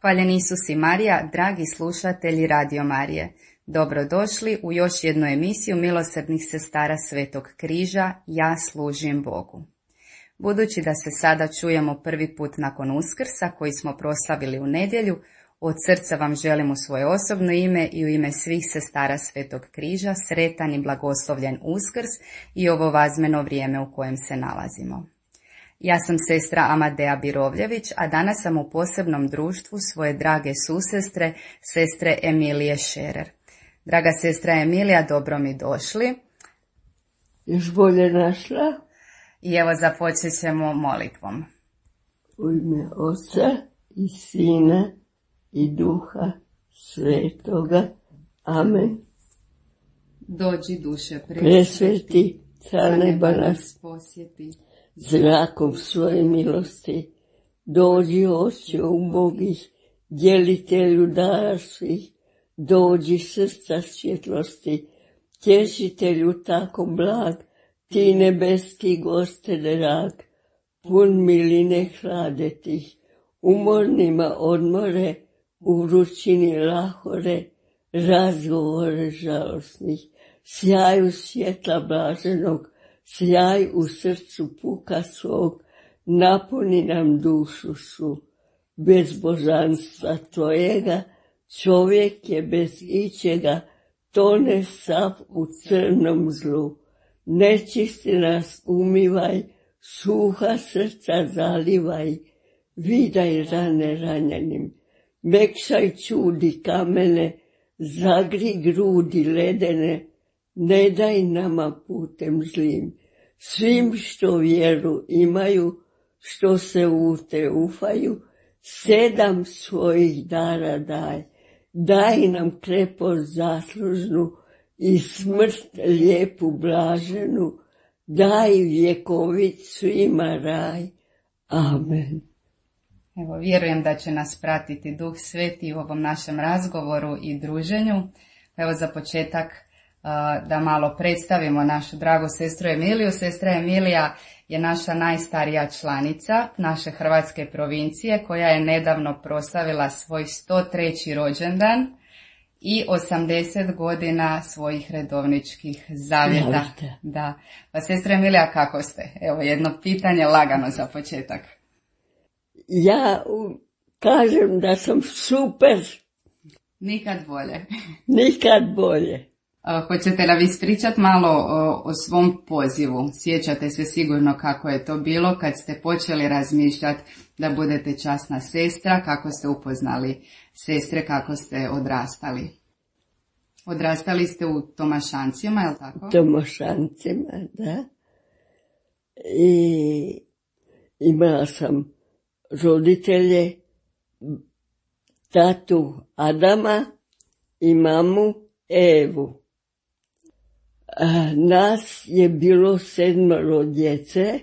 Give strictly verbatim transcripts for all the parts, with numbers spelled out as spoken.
Hvaljen Isus i Marija, dragi slušatelji Radio Marije. Dobrodošli u još jednu emisiju milosrdnih sestara Svetog križa, Ja služim Bogu. Budući da se sada čujemo prvi put nakon Uskrsa koji smo proslavili u nedjelju, od srca vam želim u svoje osobno ime i u ime svih sestara Svetog križa sretan i blagoslovljen Uskrs i ovo vazmeno vrijeme u kojem se nalazimo. Ja sam sestra Amadea Birovljević, a danas sam u posebnom društvu svoje drage susestre, sestre Emilije Šerer. Draga sestra Emilija, dobro mi došli. Još bolje našla. I evo započet ćemo molitvom. U ime Oca i Sina i Duha Svetoga. Amen. Dođi duše presveti, car neba nas posjeti. Zrakom svoje milosti, dođi Oče ubogih, djelitelju dara svih, dođi srca svjetlosti, tješitelju tako blag, ti nebeski goste drag, pun miline hlade tih, umornima odmore, u vrućini lahore, razgovore žalosnih, sjaju svjetla blaženog, sjaj u srcu puka svog, napuni nam dušu svu. Bez božanstva tvojega, čovjek je bez ičega, tone sav u crnom zlu. Nečisti nas umivaj, suha srca zalivaj, vidaj rane ranjenim, mekšaj čudi kamene, zagri grudi ledene, ne daj nama putem zlim, svim što vjeru imaju, što se u te ufaju, sedam svojih dara daj, daj nam krepost zaslužnu i smrt lijepu blaženu, daj vjekovit svima raj. Amen. Evo, vjerujem da će nas pratiti Duh Sveti u ovom našem razgovoru i druženju. Evo za početak da malo predstavimo našu dragu sestru Emiliju. Sestra Emilija je naša najstarija članica naše hrvatske provincije koja je nedavno proslavila svoj sto treći rođendan i osamdeset godina svojih redovničkih zavjeta. Da. Pa sestra Emilija, kako ste? Evo jedno pitanje lagano za početak. Ja kažem da sam super. Nikad bolje. Nikad bolje. Hoćete li vi ispričati malo o, o svom pozivu? Sjećate se sigurno kako je to bilo kad ste počeli razmišljati da budete časna sestra, kako ste upoznali sestre, kako ste odrastali. Odrastali ste u Tomašancima, je li tako? Tomašancima, da. I imala sam roditelje, tatu Adama i mamu Evu. Nas je bilo sedmero djece,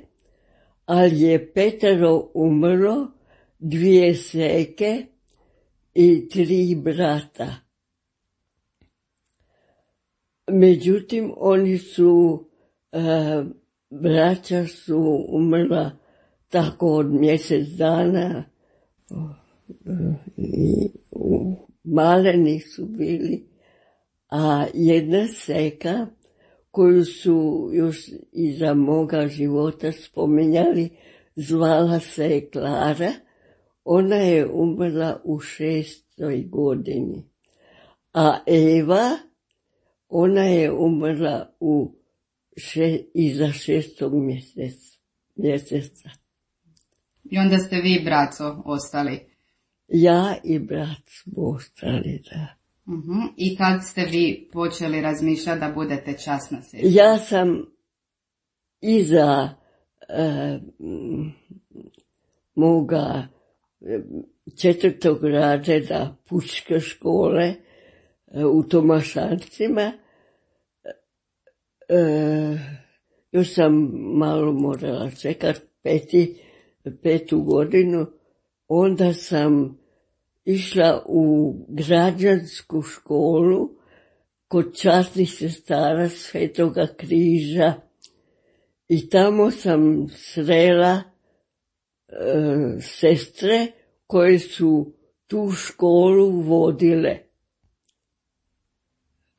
ali je petero umrlo, dvije seke i tri brata. Međutim, oni su, braća su umrla tako od mjesec dana i maleni su bili, a jedna seka koju su još iza moga života spominjali, zvala se Klara, ona je umrla u šestoj godini. A Eva, ona je umrla u še, iza šestog mjeseca. mjeseca. I onda ste vi, braco, ostali? Ja i brat smo ostali, da. Uh-huh. I kad ste vi počeli razmišljati da budete časna sestra? Ja sam iza e, moga četvrtog razreda pučke škole e, u Tomašancima, e, još sam malo morala čekati peti, petu godinu, onda sam išla u građansku školu kod časnih sestara Svetoga križa i tamo sam srela e, sestre koje su tu školu vodile.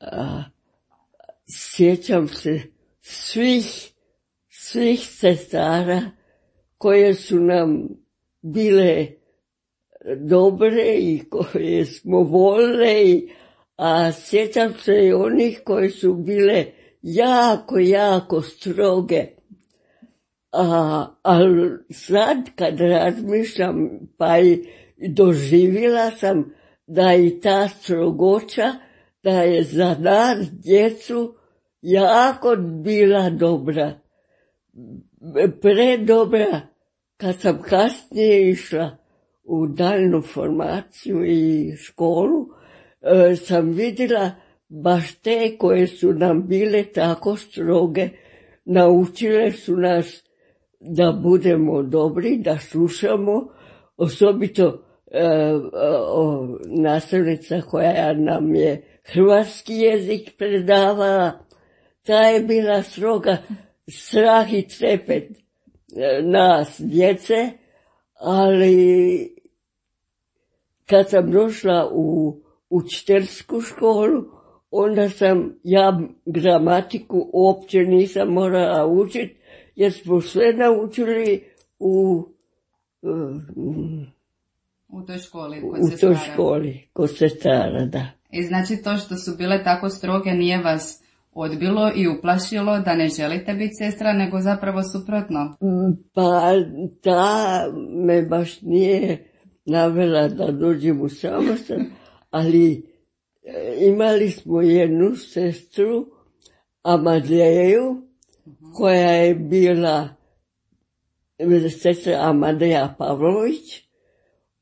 A, sjećam se svih, svih sestara koje su nam bile dobre i koje smo volile, a sjećam se i onih koje su bile jako, jako stroge. A, ali sad kad razmišljam, pa i doživjela sam da i ta strogoća, da je za nas djecu jako bila dobra. Predobra. Kad sam kasnije išla u daljnu formaciju i školu, e, sam vidjela baš te koje su nam bile tako stroge, naučile su nas da budemo dobri, da slušamo, osobito e, o, nastavnica koja nam je hrvatski jezik predavala, ta je bila stroga, strah i trepet e, nas, djece, ali kad sam došla u učiteljsku školu, onda sam ja gramatiku uopće nisam morala učiti, jer smo sve naučili u, u toj školi kod u sestara. toj školi kod sestara, da. I znači to što su bile tako stroge nije vas odbilo i uplašilo da ne želite biti sestra, nego zapravo suprotno? Pa ta me baš nije navela da dođem u samostan, ali imali smo jednu sestru, Amadeju, koja je bila sestra Amadeja Pavlović.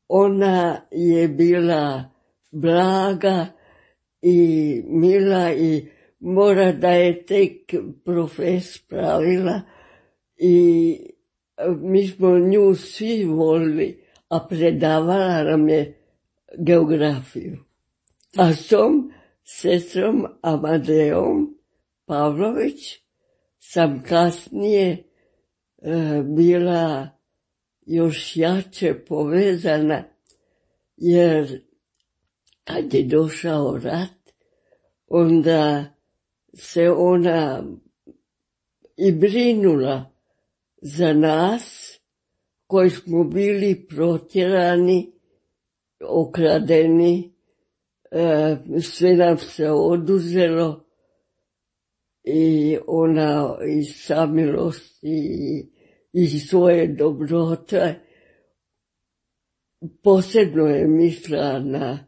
Ona je bila blaga i mila i mora da je tek profes pravila i mi smo nju svi volili, a predavala nam je geografiju. A s tom sestrom Amadejom Pavlović sam kasnije e, bila još jače povezana, jer kad je došao rat, onda se ona i brinula za nas koji smo bili protjerani, okradeni, e, sve nam se oduzelo i ona iz samilosti i iz svoje dobrote posebno je mislila na,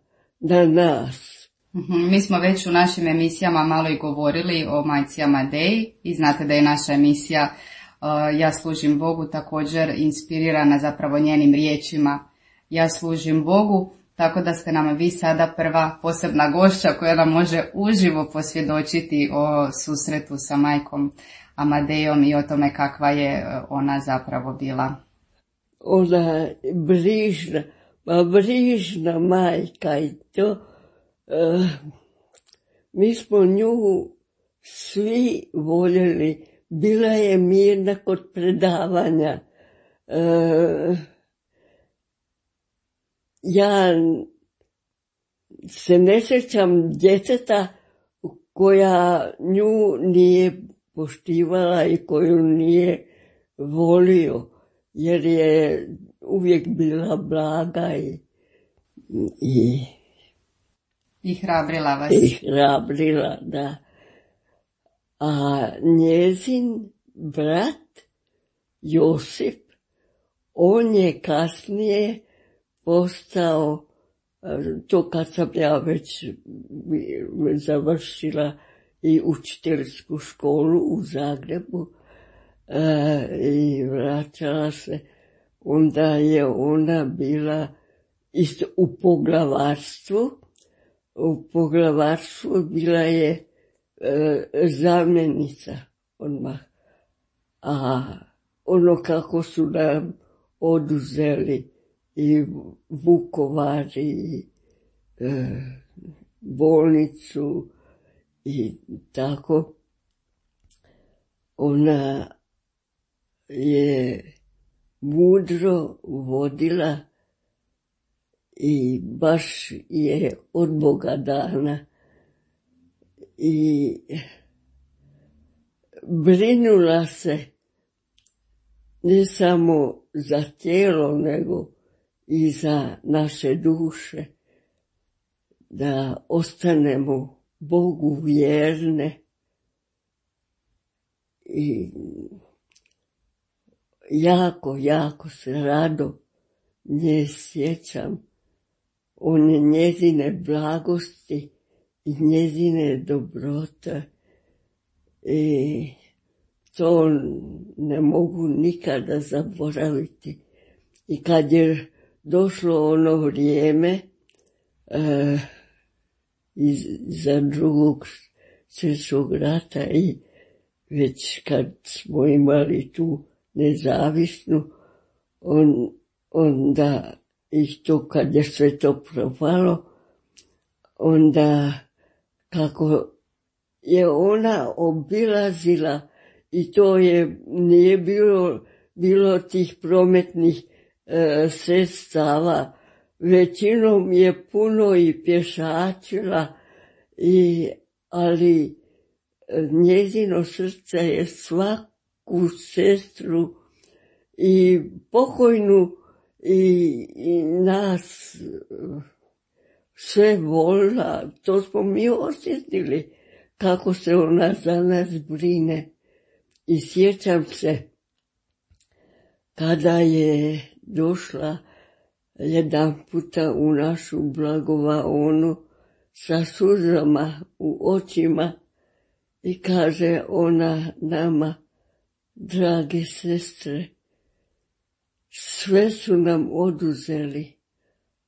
na nas. Mi smo već u našim emisijama malo i govorili o majci Amadeji i znate da je naša emisija uh, Ja služim Bogu također inspirirana zapravo njenim riječima Ja služim Bogu, tako da ste nam vi sada prva posebna gošća koja nam može uživo posvjedočiti o susretu sa majkom Amadejom i o tome kakva je ona zapravo bila. Ona je brižna, ma brižna majka i to. Uh, mi smo nju svi voljeli, bila je mirna kod predavanja. Uh, ja se ne sjećam djeteta koja nju nije poštivala i koju nije volio, jer je uvijek bila blaga i, i I hrabrila vas. I hrabrila, da. A njezin brat, Josip, on je kasnije postao, to kad sam ja već završila i učiteljsku školu u Zagrebu i vraćala se, onda je ona bila isto u poglavarstvu. U poglavarstvu bila je e, zamjenica odmah. A ono kako su nam oduzeli i Vukovar i e, bolnicu i tako, ona je mudro vodila i baš je od Boga dana. I brinula se ne samo za tijelo, nego i za naše duše, da ostanemo Bogu vjerne. I jako, jako se rado nje sjećam, one njezine blagosti i njezine dobrote. I to ne mogu nikada zaboraviti. I kad je došlo ono vrijeme e, za drugog svjetskog rata i već kad smo imali tu nezavisnu, on, onda i to kad je sve to propalo, onda kako je ona obilazila i to je, nije bilo, bilo tih prometnih e, sredstava, većinom je puno i pješačila, i, ali njezino srce je svaku sestru i pokojnu i, i nas sve volila. To smo mi osjetili kako se ona za nas brine. I sjećam se kada je došla jedan puta u našu blagovaonu sa suzama u očima i kaže ona nama: drage sestre, sve su nam oduzeli,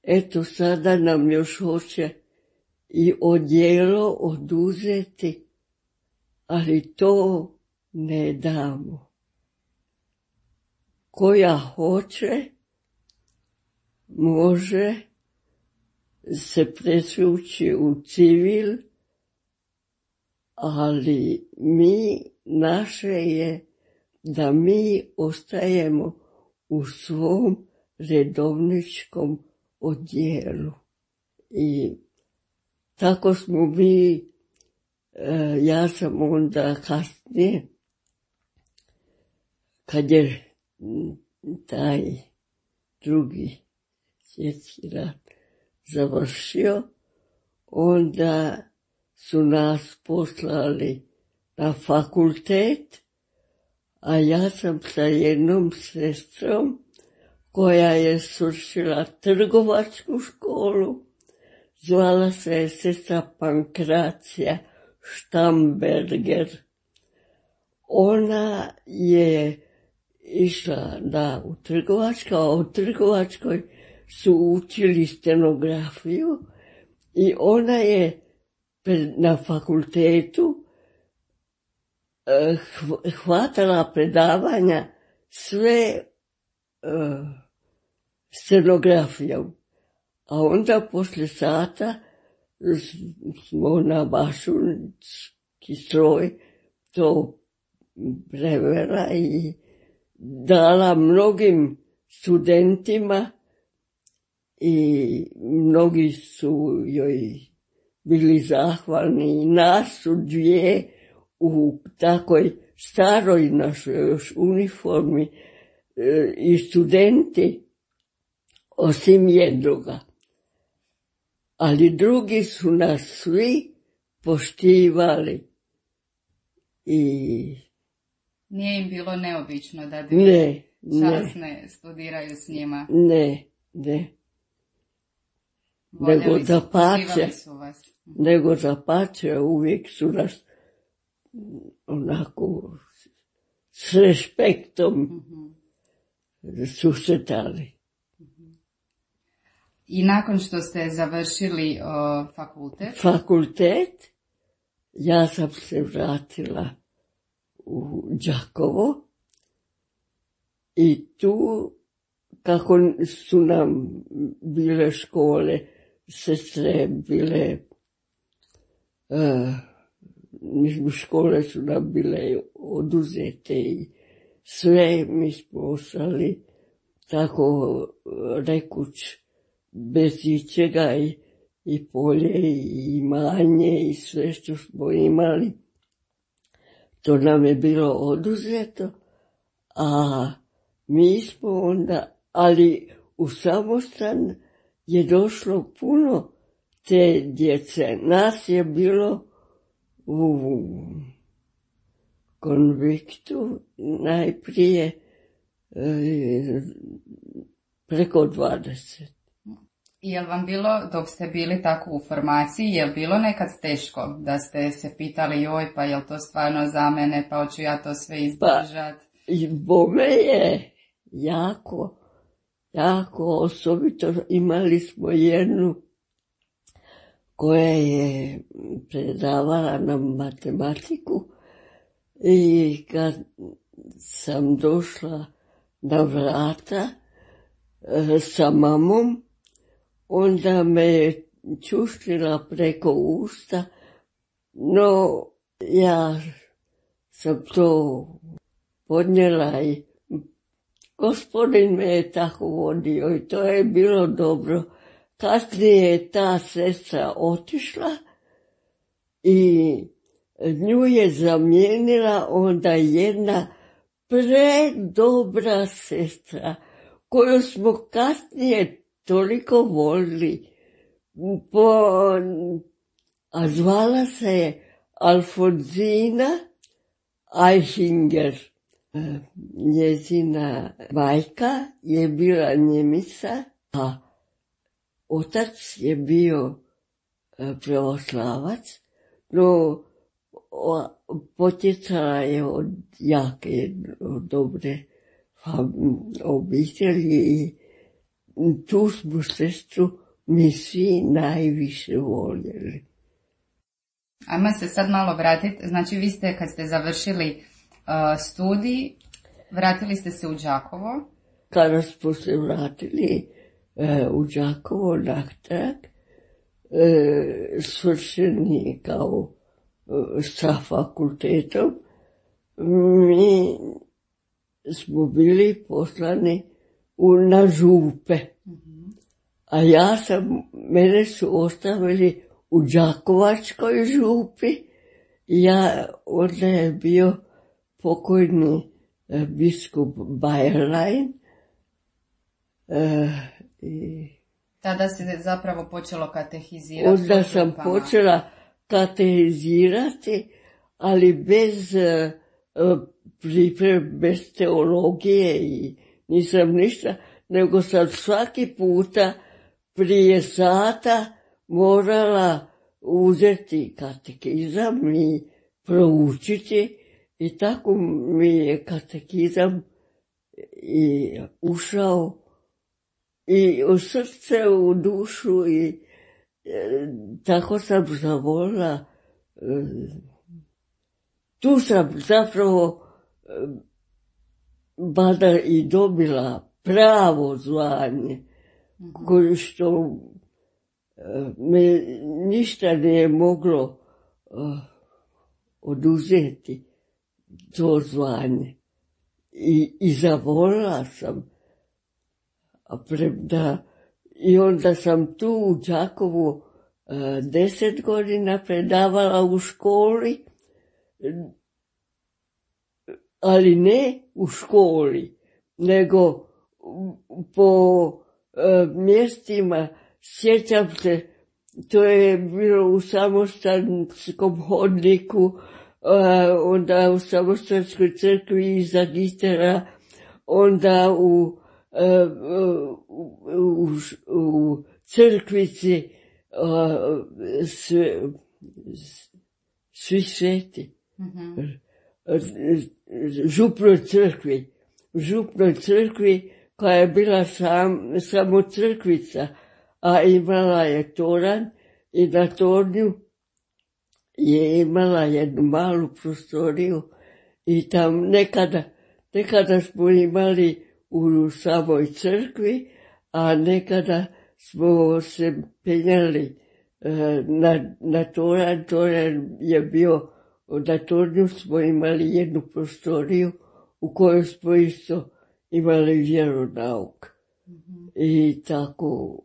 eto sada nam još hoće i odijelo oduzeti, ali to ne damo. Koja hoće, može se presvući u civil, ali mi, naše je da mi ostajemo u svom redovničkom odijelu. I tako smo mi, ja sam onda kasnije, kad je taj drugi svjetski rat završio, onda su nas poslali na fakultet, a ja sam sa jednom sestrom koja je svršila trgovačku školu, zvala se je sestra Pankracija Štamberger. Ona je išla da u trgovačku, a u trgovačkoj su učili stenografiju i ona je na fakultetu hvatala predavanja sve uh, scenografijom. A onda poslije sata smo na mašunski stroj to prevela i dala mnogim studentima i mnogi su joj bili zahvalni. I nas su dvije u takoj staroj našoj još uniformi e, i studenti, osim jednoga. Ali drugi su nas svi poštivali. I nije im bilo neobično da dvije časne studiraju s njima? Ne, ne. Voljeli nego su, zapače, su vas. nego zapače, uvijek su nas onako s respektom mm-hmm. susretali. I nakon što ste završili o, fakultet? Fakultet, ja sam se vratila u Đakovo i tu, kako su nam bile škole, sestre bile, uh, škole su nam bile oduzete i sve mi smo ostali tako rekuć bez ičega i, i polje i imanje i sve što smo imali. To nam je bilo oduzeto, a mi smo onda, ali u samostan je došlo puno te djece. Nas je bilo u konviktu najprije e, preko dvadeset. Je li vam bilo, dok ste bili tako u formaciji, je li bilo nekad teško da ste se pitali joj, pa je li to stvarno za mene, pa hoću ja to sve izdržat? Pa, bome je jako, jako osobito. Imali smo jednu koja je predavala nam matematiku i kad sam došla na vrata e, sa mamom, onda me je čuštrila preko usta, no ja sam to podnijela i gospodin me je tako vodio i to je bilo dobro. Kasnije je ta sestra otišla i nju je zamijenila onda jedna predobra sestra koju smo kasnije toliko volili, po, a zvala se je Alfonzina Eichinger. Njezina majka je bila Njemica, a otac je bio pravoslavac, no potjecala je od jake, od dobre obitelji i tu smo sestru mi svi najviše voljeli. Ajmo se sad malo vratiti, znači vi ste kad ste završili uh, studij, vratili ste se u Đakovo? Kada smo se vratili uh, u Đakovo natrag, uh, svršeni kao uh, sa fakultetom, mi smo bili poslani u, na župe. Mm-hmm. A ja sam, mene su ostavili u Đakovačkoj župi. Ja, onda je bio pokojni e, biskup Bajerlein. E, i tada se zapravo počelo katehizirati. Onda sam župama. počela katehizirati, ali bez e, pripreme, bez teologije i nisam ništa, nego sam svaki puta prije sata morala uzeti katekizam i proučiti i tako mi je katekizam i ušao i u srce, u dušu i e, tako sam zavolila. E, tu sam zapravo e, bada i dobila pravo zvanje, mm-hmm. koje što me ništa nije moglo uh, oduzeti to zvanje. I, i zavolila sam. A premda, i onda sam tu u Đakovu uh, deset godina predavala u školi, ali ne u školi, nego po uh, mjestima. Sjećam se, to je bilo u samostanskom hodniku, uh, onda u samostanskoj crkvi iza Gitera, onda u, uh, u, u, u crkvici uh, sve, svi sveti. Mm-hmm. Župnoj crkvi, župnoj crkvi koja je bila sam, samo crkvica, a imala je toranj i na tornju je imala jednu malu prostoriju i tam nekada, nekada smo imali u samoj crkvi, a nekada smo se penjali uh, na, na toranj. Toranj je bio, na tornju smo imali jednu prostoriju u kojoj smo isto imali vjeronauk. Mm-hmm. I tako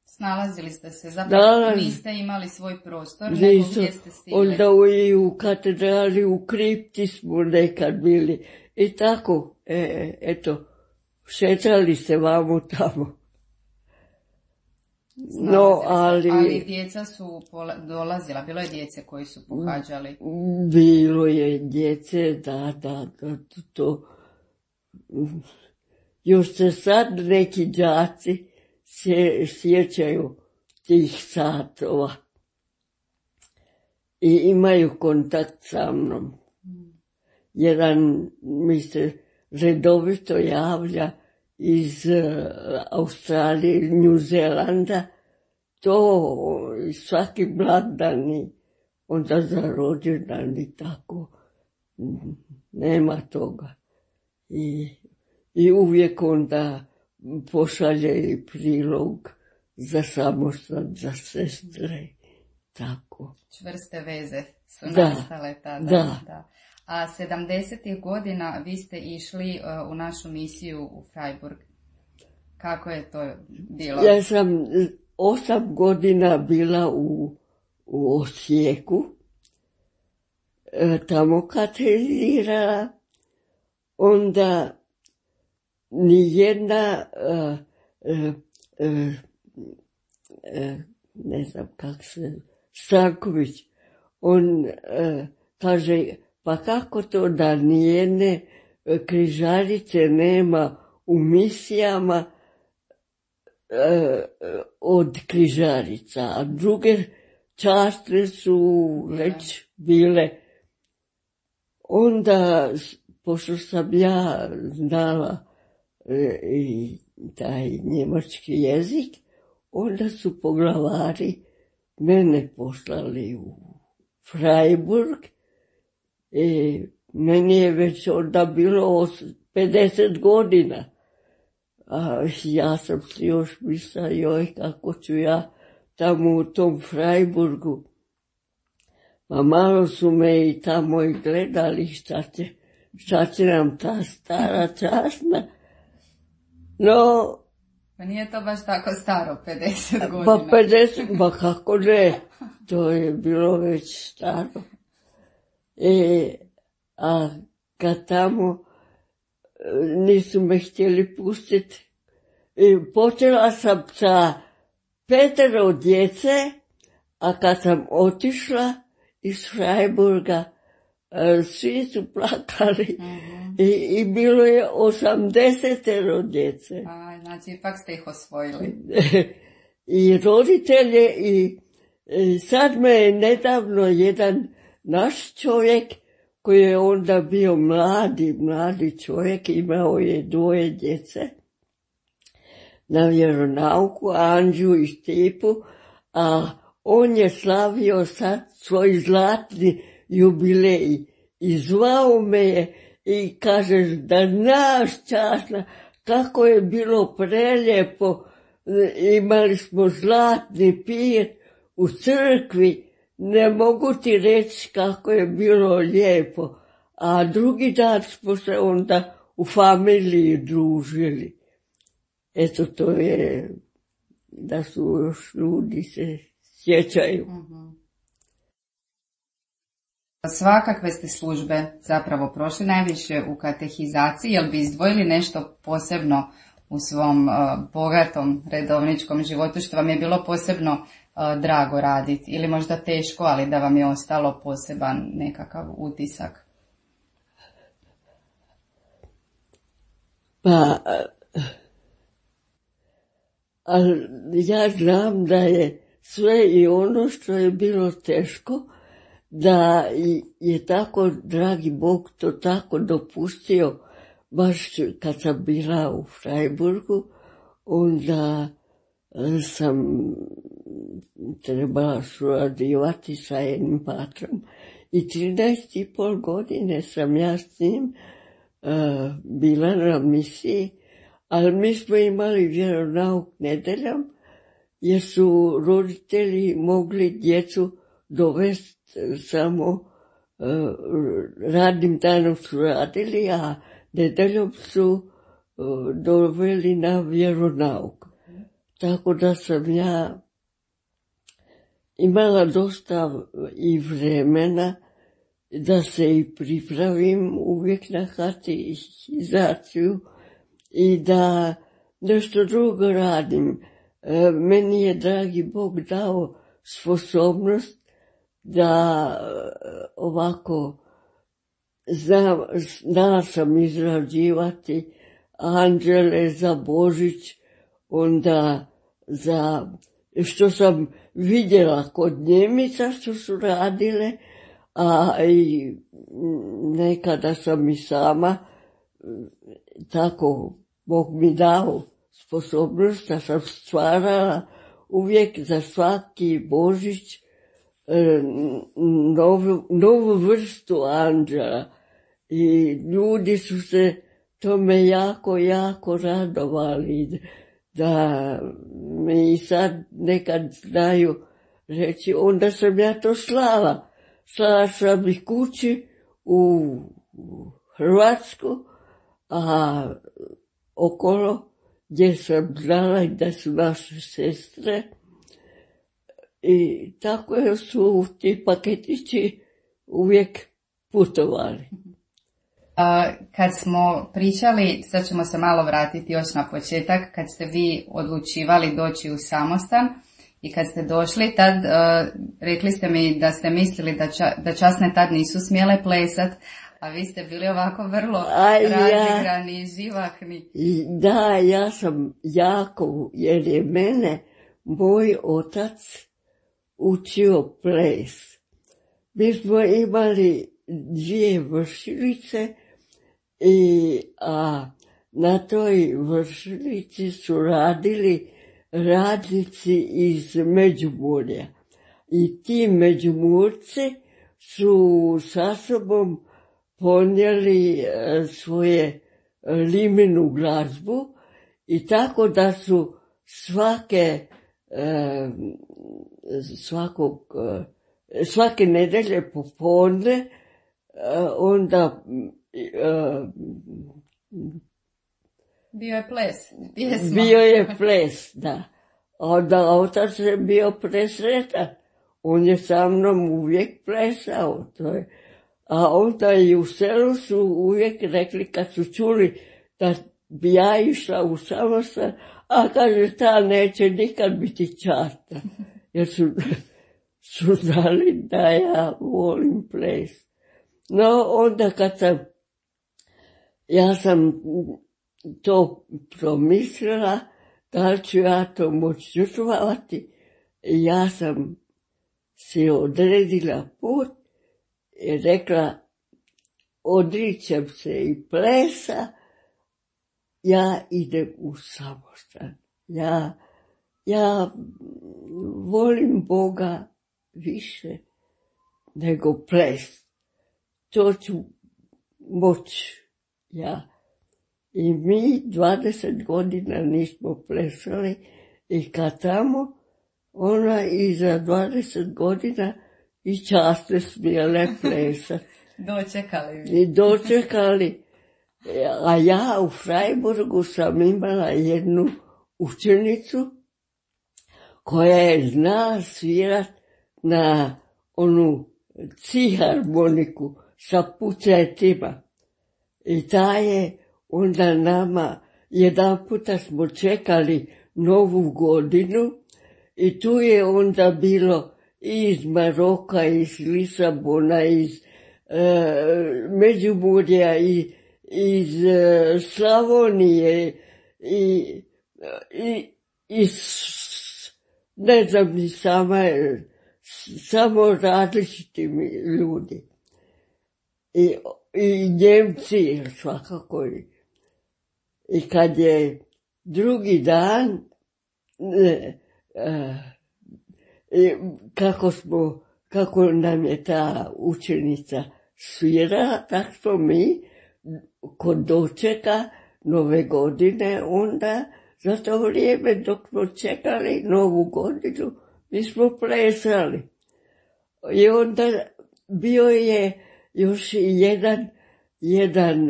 Snalazili ste se, zapravo Nalaz... niste imali svoj prostor, Nisu. nego gdje ste stigli. Onda u, i u katedrali, u kripti smo nekad bili. I tako, e, eto, šetali se vamo tamo. No, ali... ali djeca su pola, dolazila, bilo je djece koji su pohađali. Bilo je djece, da, da, da, to... Još se sad neki đaci se sjećaju tih satova i imaju kontakt sa mnom. Jedan mi se redovito javlja iz Australije, New Zelanda, to svaki blagdan i onda za rođendan i tako. Nema toga. I, i uvijek onda pošalje i prilog za samostan, za sestre, tako. Čvrste veze su da, nastale tada. Da. Da. A sedamdesetih godina vi ste išli uh, u našu misiju u Freiburg. Kako je to bilo? Ja sam osam godina bila u, u Osijeku, e, tamo katedrirala, onda nijedna, uh, uh, uh, uh, ne znam kak se, Stanković, on uh, kaže, pa kako to da nijedne križarice nema u misijama uh, od križarica, a druge častre su već bile. Onda, pošto sam ja znala i taj njemački jezik, onda su poglavari mene poslali u Freiburg i meni je već onda bilo pedeset godina. A ja sam si još mislila, joj, kako ću ja tamo u tom Freiburgu. Pa malo su me i tamo i gledali šta će, šta će nam ta stara časna. No, pa nije to baš tako staro, pedeset godina. Pa pedeset, pa kako ne, to je bilo već staro. E, a kad tamo nisu me htjeli pustiti, i počela sam sa petero djece, a kad sam otišla iz Freiburga, svi su plakali. Uh-huh. I, i bilo je osamdesetero djece. A, znači, ipak ste ih osvojili. I roditelje i, i sad me je nedavno jedan naš čovjek, koji je onda bio mladi, mladi čovjek, imao je dvoje djece na vjeronauku, Anđu i Stipu, a on je slavio sad svoj zlatni jubilej i zvao me je i kaže da znaš časna kako je bilo prelijepo, imali smo zlatni pir u crkvi, ne mogu ti reći kako je bilo lijepo, a drugi dan smo se onda u familiji družili. Eto, to je da su još ljudi se sjećaju. Uh-huh. Svakakve ste službe zapravo prošli, najviše u katehizaciji. Jel bi izdvojili nešto posebno u svom uh, bogatom redovničkom životu što vam je bilo posebno uh, drago raditi ili možda teško, ali da vam je ostalo poseban nekakav utisak? Pa, ali ja znam da je sve i ono što je bilo teško, da je tako, dragi Bog, to tako dopustio, baš kad sam bila u Freiburgu, onda sam trebala surađivati sa jednim patrom i trinaest i pol godine sam ja s njim uh, bila na misiji, ali mi smo imali vjeronauk nedeljom, jer su roditelji mogli djecu dovesti samo uh, radnim danom su radili, a nedeljom su uh, doveli na vjeronauk. tako da sam ja imala dosta i vremena da se i pripravim uvijek na katehizaciju i da nešto drugo radim. E, meni je dragi Bog dao sposobnost da ovako znam, znala sam izrađivati anđele za Božić, onda za što sam vidjela kod Njemica što su radile, a i nekada sam i sama tako Bog mi dao sposobnost da sam stvarala uvijek za svaki Božić novu, novu vrstu anđela i ljudi su se tome jako, jako radovali da mi sad nekad znaju reći, onda sam ja to slala. Slala sam ih kući u Hrvatsku, a okolo gdje sam znala da su naše sestre. I tako su ti paketići uvijek putovali. Kad smo pričali, sad ćemo se malo vratiti još na početak, kad ste vi odlučivali doći u samostan i kad ste došli, tad uh, rekli ste mi da ste mislili da, ča, da časne tad nisu smjele plesat, a vi ste bili ovako vrlo razigrani i živahni. Da, ja sam jako, jer je mene moj otac učio ples. Mi smo imali dvije vršilice i a na toj vršilici su radili radnici iz Međimurja. I ti Međimurci su sa sobom ponijeli svoje limenu glazbu i tako da su svake svakog svake nedelje popodne onda bio je ples, pjesma. Bio je ples, da. Onda otac je bio presretan. On je sa mnom uvijek plesao. To je. A onda i u selu su uvijek rekli kad su čuli da bi ja išla u samostan, a kaže ta neće nikad biti časta. Jer su, su znali da ja volim ples. No onda kad sam, ja sam to promislila, da li ću ja to moći žrtvovati, ja sam si odredila put i rekla, odričem se i plesa, ja idem u samostan. Ja, ja volim Boga više nego ples. To ću moći ja. I mi dvadeset godina nismo plesali i kad tamo, ona i za dvadeset godina i časne smjele plesati. Dočekali vi. I dočekali. A ja u Freiburgu sam imala jednu učenicu koja je zna svirat na onu ciharmoniku sa pucetima. I ta je onda nama, jedan puta smo čekali novu godinu i tu je onda bilo i iz Maroka, iz Lisabona, iz e, Međimurja, i iz e, Slavonije i, i iz, ne znam ni sama, samo različiti ljudi. I, i Njemci svakako. I kad je drugi dan, e, e, kako smo, kako nam je ta učenica svirala, tako smo mi kod dočeka nove godine, onda za to vrijeme dok smo čekali novu godinu, mi smo plesali. I onda bio je još jedan, jedan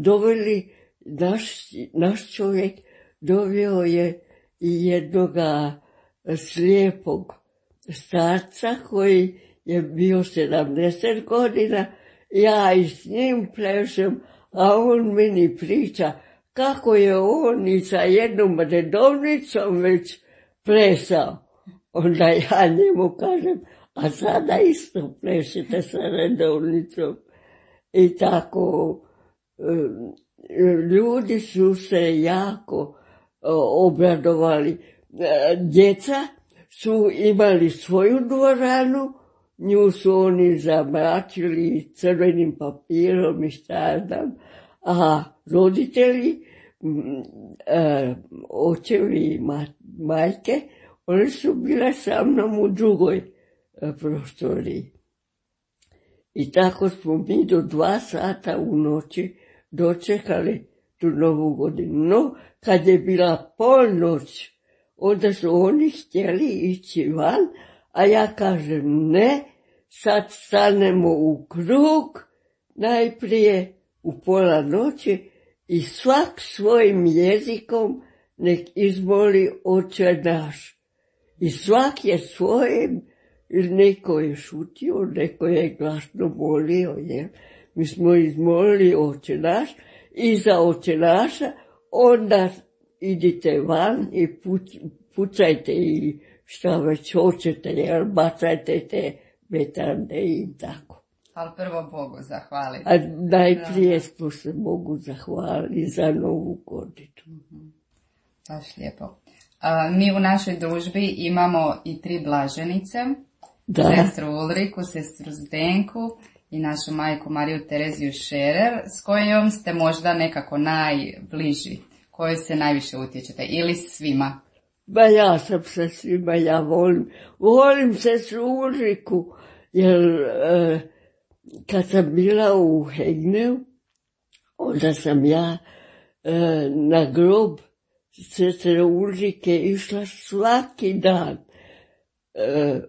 doveli, naš, naš čovjek doveo je i jednoga slijepog starca koji je bio sedamdeset godina. Ja i s njim plešem, a on meni priča kako je on i sa jednom redovnicom već plesao. Onda ja njemu kažem, a sada isto plešite sa redovnicom. I tako, ljudi su se jako obradovali. Djeca su imali svoju dvoranu, nju su oni zamračili crvenim papirom i šta znam, a roditelji, očevi i majke, oni su bile sa mnom u drugoj prostoriji. I tako smo mi do dva sata u noći dočekali tu novu godinu. No, kad je bila polnoć, onda su oni htjeli ići van, a ja kažem ne, sad stanemo u krug, najprije u pola noći i svak svojim jezikom nek izmoli Oče naš. I svak je svojim, neko je šutio, neko je glasno molio, jer mi smo izmolili Oče naš i za Oče naša onda idite van i puć, pucajte i šta već hoćete, jer bacajte te vetrande i tako. Ali prvo Bogu zahvaliti. A najprije smo se Bogu zahvalili za novu godinu. Mm-hmm. Baš lijepo. A, mi u našoj družbi imamo i tri blaženice. Da. Sestru Ulriku, sestru Zdenku i našu majku Mariju Tereziju Šerer, s kojom ste možda nekako najbliži, kojoj se najviše utječete, ili svima? Ba ja sam sa svima, ja volim, volim sestru Ulriku, jer e, kad sam bila u Hegneu, onda sam ja e, na grob sestre Ulrike išla svaki dan. E,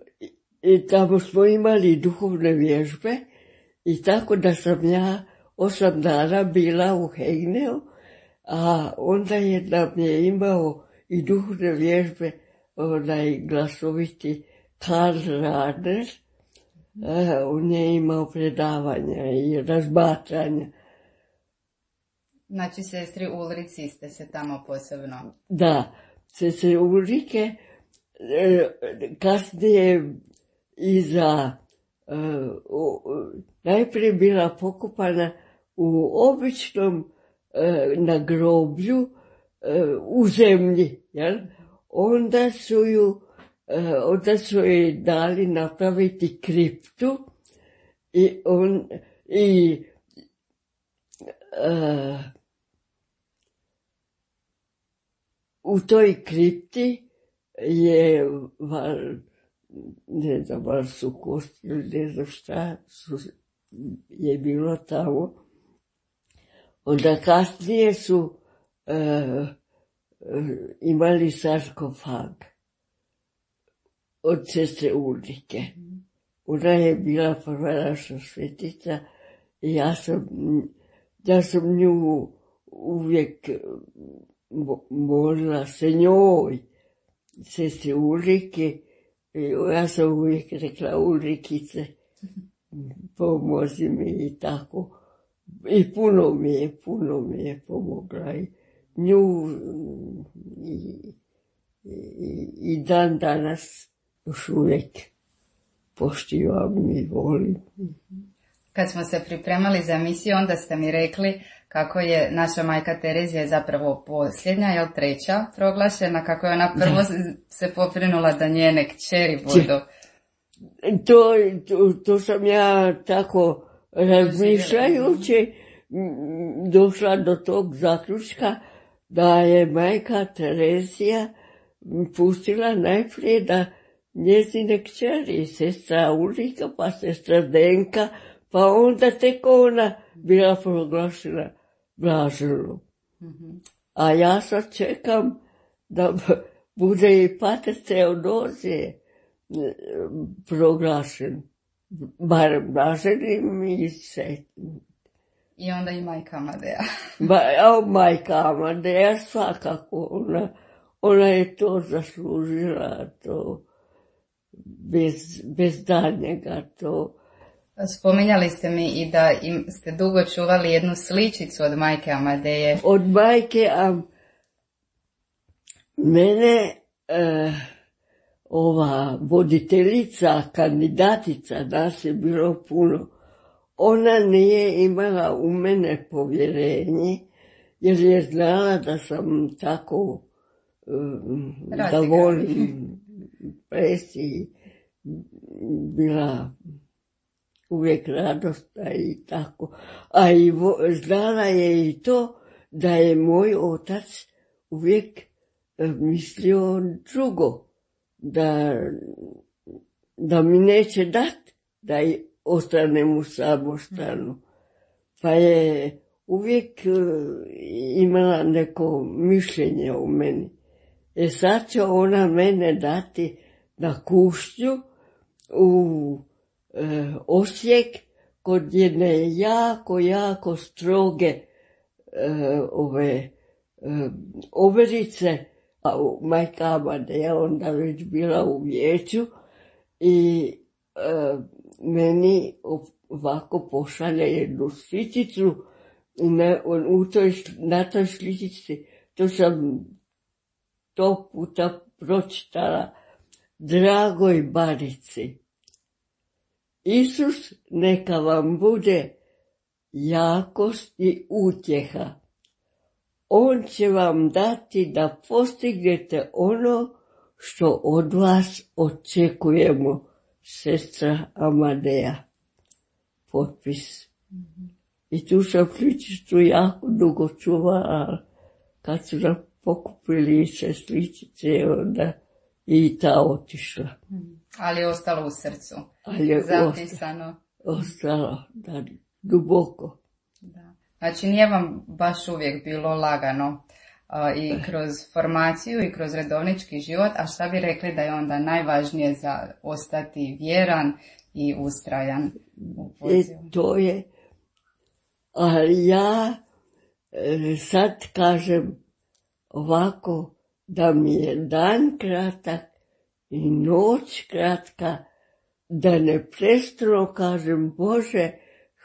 I tamo smo imali duhovne vježbe i tako da sam ja osam dana bila u Hegneu, a onda je nam je imao i duhovne vježbe onaj glasoviti Karl Radner. On je imao predavanja i razmatranja. Znači, sestri Ulrici ste se tamo posebno... Da, sestre Ulrike kasnije iza, uh, najprije bila pokopana u običnom uh, nagroblju uh, u zemlji, jel? Onda su ju, uh, onda su joj dali napraviti kriptu i on, i uh, u toj kripti je val, ne znam, val su kosti, ne znam šta su, je bilo tamo. Onda kasnije su uh, imali sarkofag od sestre Ulrike. Ona je bila prva naša svetica i ja sam, ja sam nju uvijek molila se njoj, sestre Ulrike. Ja sam uvijek rekla Ulrikice, pomozi mi i tako. I puno mi je, puno mi je pomogla. I nju i, i, i dan danas još uvijek poštivam i volim. Kad smo se pripremali za emisiju, onda ste mi rekli kako je naša majka Terezija zapravo posljednja, jel treća proglašena, kako je ona prvo da. se poprinula da njene kćeri budu. To, to, to sam ja tako razmišljajući došla do tog zaključka da je majka Terezija pustila najprije da njezine kćeri, sestra Ulrika, pa sestra Denka, pa onda tek ona bila proglašena blaženom. Mm-hmm. A ja sad čekam da bude i pater Teodozije proglašen, barem blaženim i svetim. I onda i majka Amadeja. Ba, o, majka Amadeja svakako, ona, ona je to zaslužila, to bez, bez daljnjega, to. Spominjali ste mi i da im ste dugo čuvali jednu sličicu od majke Amadeje. Od majke, a mene e, ova voditeljica, kandidatica, nas je bilo puno, ona nije imala u mene povjerenje, jer je znala da sam tako um, da volim ples i bila uvijek radosna i tako. A i vo, znala je i to da je moj otac uvijek mislio drugo, da, da mi neće dat, da ostanem u samostanu. Pa je uvijek imala neko mišljenje o meni. E sad će ona mene dati na kušnju u e, Osijek kod jedne jako, jako stroge e, ove e, overice, a majka Amadeja onda već bila u vijeću i e, meni ovako pošalje jednu sličicu i na, u toj, na toj sličici, to sam to puta pročitala, dragoj Barici, Isus neka vam bude jakost i utjeha. On će vam dati da postignete ono što od vas očekujemo, sestra Amadeja. Potpis. Mm-hmm. I tu sam sličicu jako dugo čuvala, kad su nam pokupili se sličice, onda i ta otišla. Mm. Ali je ostalo u srcu. Ali je zapisano. Ostalo, da, duboko. Da. Znači nije vam baš uvijek bilo lagano uh, i kroz formaciju i kroz redovnički život, a šta bi rekli da je onda najvažnije za ostati vjeran i ustrajan u pozivu? E, to je, ali ja e, sad kažem ovako, da mi je dan kratak i noć kratka, da ne prestano kažem Bože,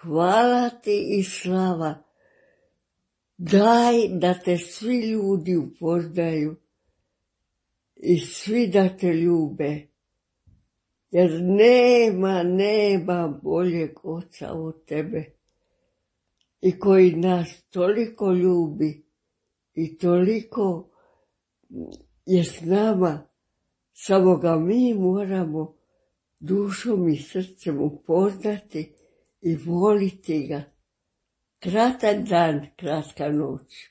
hvala ti i slava, daj da te svi ljudi upoznaju i svi da te ljube, jer nema, nema boljeg oca od tebe i koji nas toliko ljubi i toliko je s nama, samo ga mi moramo dušom i srcem upoznati i voliti ga. Kratak dan, kratka noć.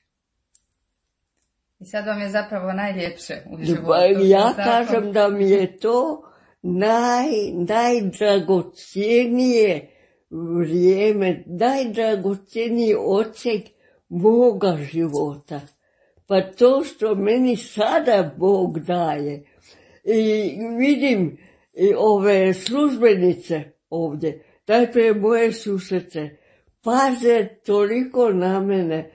I sad vam je zapravo najljepše u životu. Ja kažem da mi je to naj, najdragocijenije vrijeme, najdragocijeniji odsek moga života. Pa to što meni sada Bog daje. I vidim i ove službenice ovdje, najprije moje susrece, paze toliko na mene,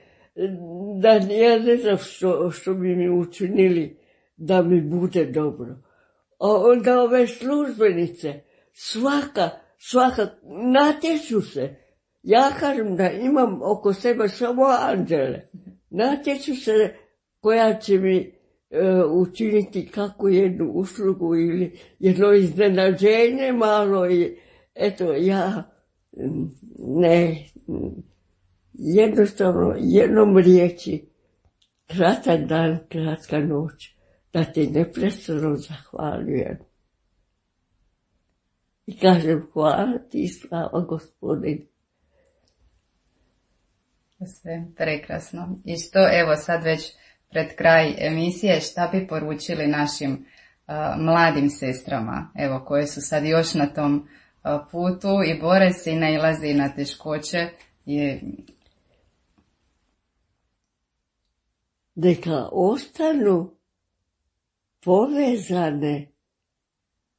da ja ne znam što, što bi mi učinili da mi bude dobro. A onda ove službenice, svaka, svaka, natječu se. Ja kažem da imam oko sebe samo anđele. Natječu se koja će mi e, učiniti kakvu jednu uslugu ili jedno iznenađenje malo i eto ja ne, jednostavno jednom riječi, kratak dan, kratka noć, da ti neprestano zahvaljujem. I kažem hvala ti, slava Gospodin. Sve prekrasno. I što evo sad već pred kraj emisije, šta bi poručili našim uh, mladim sestrama, evo koje su sad još na tom uh, putu i bore se i nailaze na teškoće? Je... Neka ostanu povezane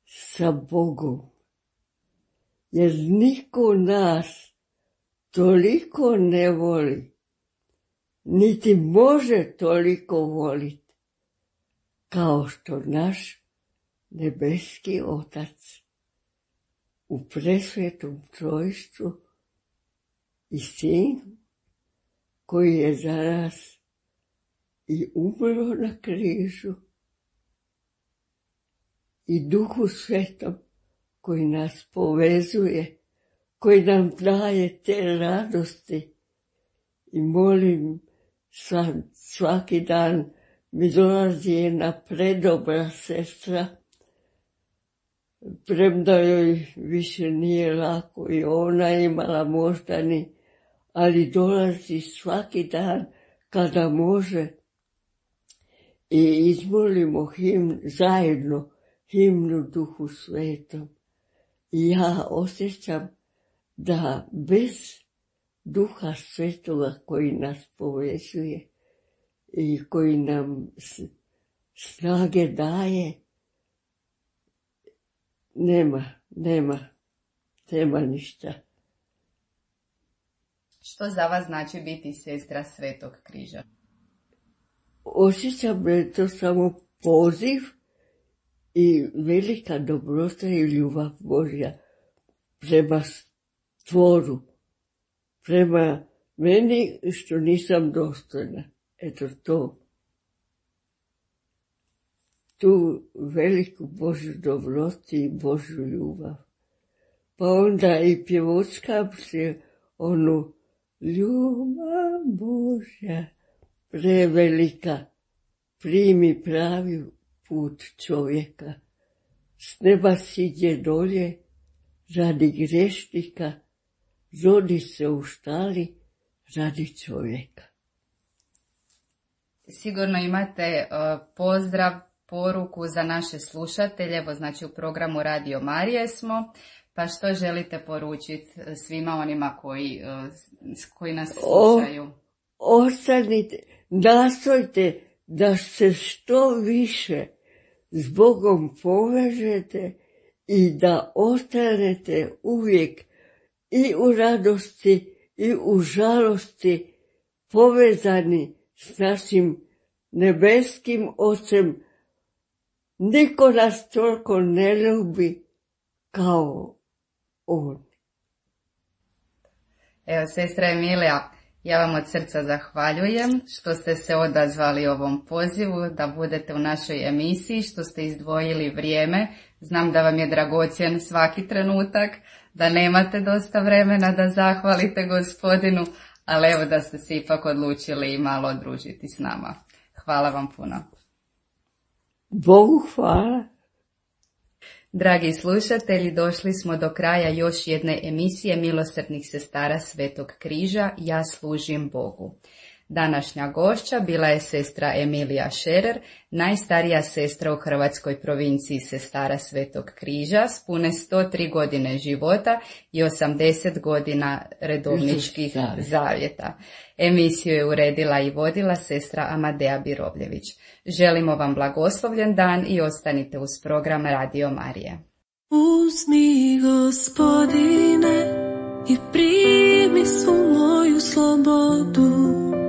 sa Bogom, jer niko nas toliko ne voli, niti može toliko voliti, kao što naš nebeski Otac u presvetom trojstvu i Sin koji je za nas i umro na križu i Duhu Svetom koji nas povezuje, koji nam daje te radosti. I molim svaki dan mi dolazi jedna predobra sestra, premda joj više nije lako i ona imala možda ni, ali dolazi svaki dan kada može i izmolimo himn, zajedno himnu Duhu Svetom. I ja osjećam da bez Duha Svetoga koji nas povezuje i koji nam snage daje, nema, nema, nema ništa. Što za vas znači biti sestra Svetog križa? Osjećam da je to samo poziv i velika dobrota i ljubav Božja prema stvoru, prema meni što nisam dostojna. Eto to. Tu veliku Božju dobrotu i Božju ljubav. Pa onda i pjevočkam se onu ljubav Božja prevelika, primi pravi put čovjeka. S neba siđe dolje radi grešnika, rodi se u štali radi čovjeka. Sigurno imate uh, pozdrav, poruku za naše slušatelje, evo znači u programu Radio Marije smo, pa što želite poručiti svima onima koji, uh, koji nas slušaju? O, ostanite, nastojte da se što više s Bogom povežete i da ostanete uvijek i u radosti i u žalosti povezani s našim nebeskim Ocem. Niko nas toliko ne ljubi kao On. Evo, sestra Emilija, ja vam od srca zahvaljujem što ste se odazvali ovom pozivu, da budete u našoj emisiji, što ste izdvojili vrijeme. Znam da vam je dragocjen svaki trenutak, da nemate dosta vremena da zahvalite Gospodinu, ali evo da ste se ipak odlučili i malo družiti s nama. Hvala vam puno. Bogu hvala. Dragi slušatelji, došli smo do kraja još jedne emisije Milosrdnih sestara Svetog križa, Ja služim Bogu. Današnja gošća bila je sestra Emilija Šerer, najstarija sestra u hrvatskoj provinciji sestara Svetog križa s pune sto tri godine života i osamdeset godina redovničkih zavjeta. Emisiju je uredila i vodila sestra Amadea Birovljević. Želimo vam blagoslovljen dan i ostanite uz program Radio Marije. Uzmi, Gospodine, i primi svu moju slobodu.